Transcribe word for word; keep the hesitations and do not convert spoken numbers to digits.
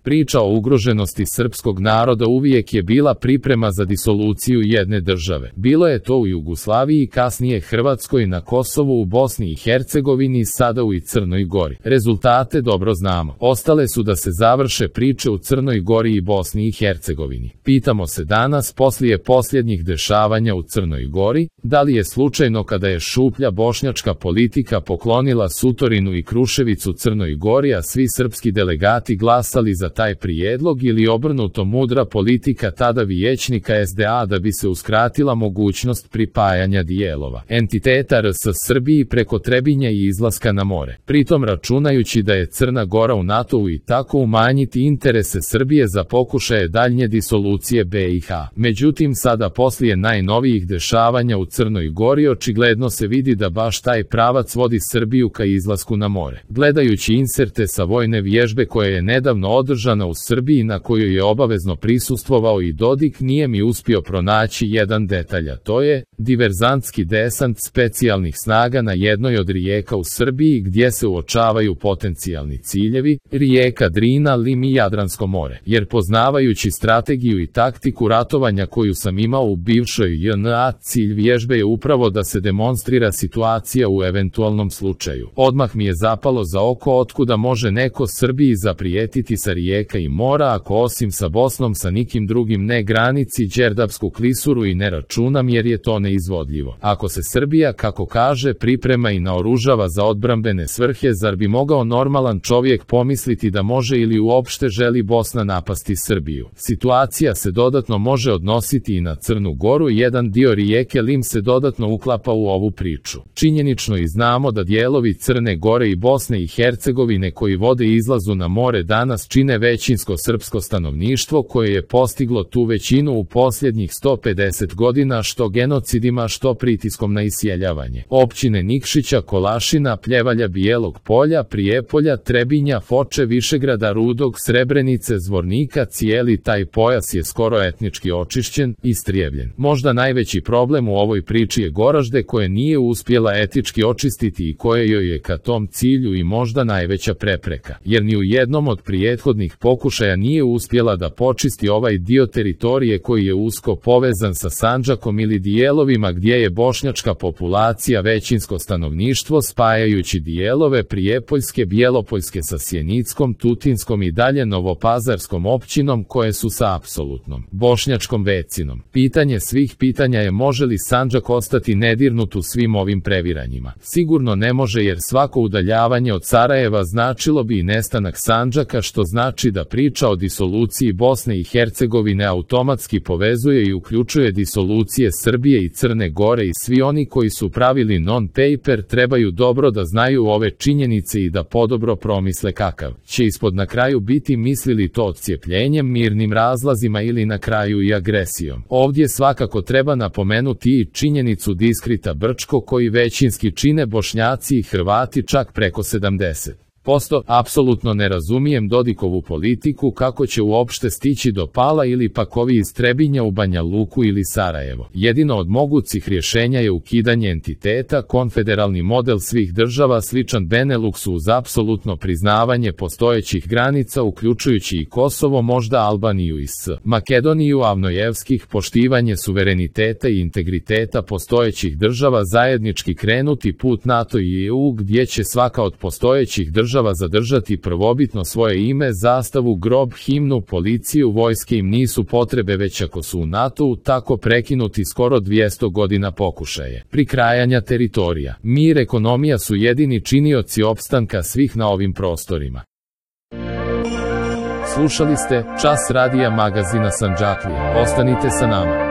Priča o ugroženosti srpskog naroda uvijek je bila priprema za disoluciju jedne države. Bilo je to u Jugoslaviji, kasnije Hrvatskoj, na Kosovu, u Bosni i Hercegovini, sada u i Crnoj Gori. Rezultate dobro znamo. Ostale su da se završe priče u Crnoj Gori i Bosni i Hercegovini. Pitamo se danas, poslije posljednjih dešavanja u Crnoj Gori, da li je slučajno kada je šuplja bošnjačka politika poklonila Sutorinu i Kruševicu Crnoj Gori, a svi srpski delegati glasali za taj prijedlog, ili obrnuto, mudra politika tada vijećnika S D A da bi se uskratila mogućnost pripajanja dijelova entiteta R S Srbiji preko Trebinja i izlaska na more, pritom računajući da je Crna Gora u NATO-u i tako umanjiti interese Srbije za pokušaje daljnje disolucije B i H. Međutim, sada poslije najnovijih dešavanja u Crnoj Gori očigledno se vidi da baš taj pravac vodi Srbiju ka izlasku na more. Gledajući inserte sa vojne vježbe koja je nedavno održana u Srbiji, na kojoj je obavezno prisustvovao i Dodik, nije mi uspio pronaći jedan detalj, a to je diverzantski desant specijalnih snaga na jednoj od rijeka u Srbiji gdje se uočavaju potencijalni ciljevi, rijeka Drina, Lim i Jadransko more. Jer poznavajući strategiju i taktiku ratovanja koju sam imao u bivšoj J N A, cilj vježbe je upravo da se demonstrira situacija u eventualnom slučaju. Odmah mi je zapalo za oko otkuda može neko Srbiji zaprijetiti sa rijeka i mora, ako osim sa Bosnom sa nikim drugim ne granici Đerdapsku klisuru i ne računam, jer je to neizvodljivo. Ako se Srbija, kako kaže, priprema i naoružava za odbrambene svrhe, zar bi mogao normalan čovjek pomisliti da može ili uopšte želi Bosna napasti Srbiju? Situacija se dodatno može odnositi i na Crnu Goru, jedan dio rijeke Lim se dodatno uklapa u ovu priču. Činjenično i znamo da dijelovi Crne Gore i Bosne i Hercegovine koji vode izlazu na more danas čine većinsko srpsko stanovništvo koje je postiglo tu većinu u posljednjih sto pedeset godina, što genocidima, što pritiskom na isjeljavanje. Općine Nikšića, Kolašina, Pljevalja, Bijelog Polja, Prijepolja, Trebinja, Foče, Višegrada, Rudog, Srebrenice, Zvornika, cijeli taj pojas je skoro etnički očišćen, istrijevljen. Možda najveći problem u ovoj priči je Goražde, koje nije uspjela etički očistiti i koje joj je ka tom cilju i možda najveća prepreka, jer ni u jednom od prijethodnih pokušaja nije uspjela da počisti ovaj dio teritorije koji je usko povezan sa Sandžakom ili dijelovima gdje je bošnjačka populacija većinsko stanovništvo, spajajući dijelove Prijepoljske, Bjelopoljske sa Sjenickom, Tutinskom i dalje Novopazarskom općinom koje su sa apsolutnom bošnjačkom većinom. Pitanje svih pitanja je može li Sandžak ostati nedirnut u svim ovim previranjima. Sigurno ne može, jer svako udaljavanje od Sarajeva značilo bi i nestanak Sandžaka, što znači da priča o disoluciji Bosne i Hercegovine automatski povezuje i uključuje disolucije Srbije i Crne Gore, i svi oni koji su pravili non-paper trebaju dobro da znaju ove činjenice i da podobro promisle kakav će ispod na kraju biti, mislili to odcijepljenjem, mirnim razlazima ili na kraju i agresijom. Ovdje svakako treba napomenuti i činjenicu Diskrita Brčko koji većinski čine Bošnjaci i Hrvati, čak preko sedamdeset posto. Apsolutno ne razumijem Dodikovu politiku, kako će uopšte stići do Pala ili pak ovi iz Trebinja u Banja Luku ili Sarajevo. Jedino od mogućih rješenja je ukidanje entiteta, konfederalni model svih država sličan Beneluksu uz apsolutno priznavanje postojećih granica uključujući i Kosovo, možda Albaniju i S. Makedoniju, Avnojevskih, poštivanje suvereniteta i integriteta postojećih država, zajednički krenuti put NATO i E U gdje će svaka od postojećih država zadržati prvobitno svoje ime, zastavu, grob, himnu, policiju, vojske im nisu potrebe, već ako su u NATO-u, tako prekinuti skoro dvjesto godina pokušaje prikrajanja teritorija. Mir, ekonomija su jedini činioci opstanka svih na ovim prostorima. Slušali ste Čas radija magazina Sandžaklija. Ostanite sa nama.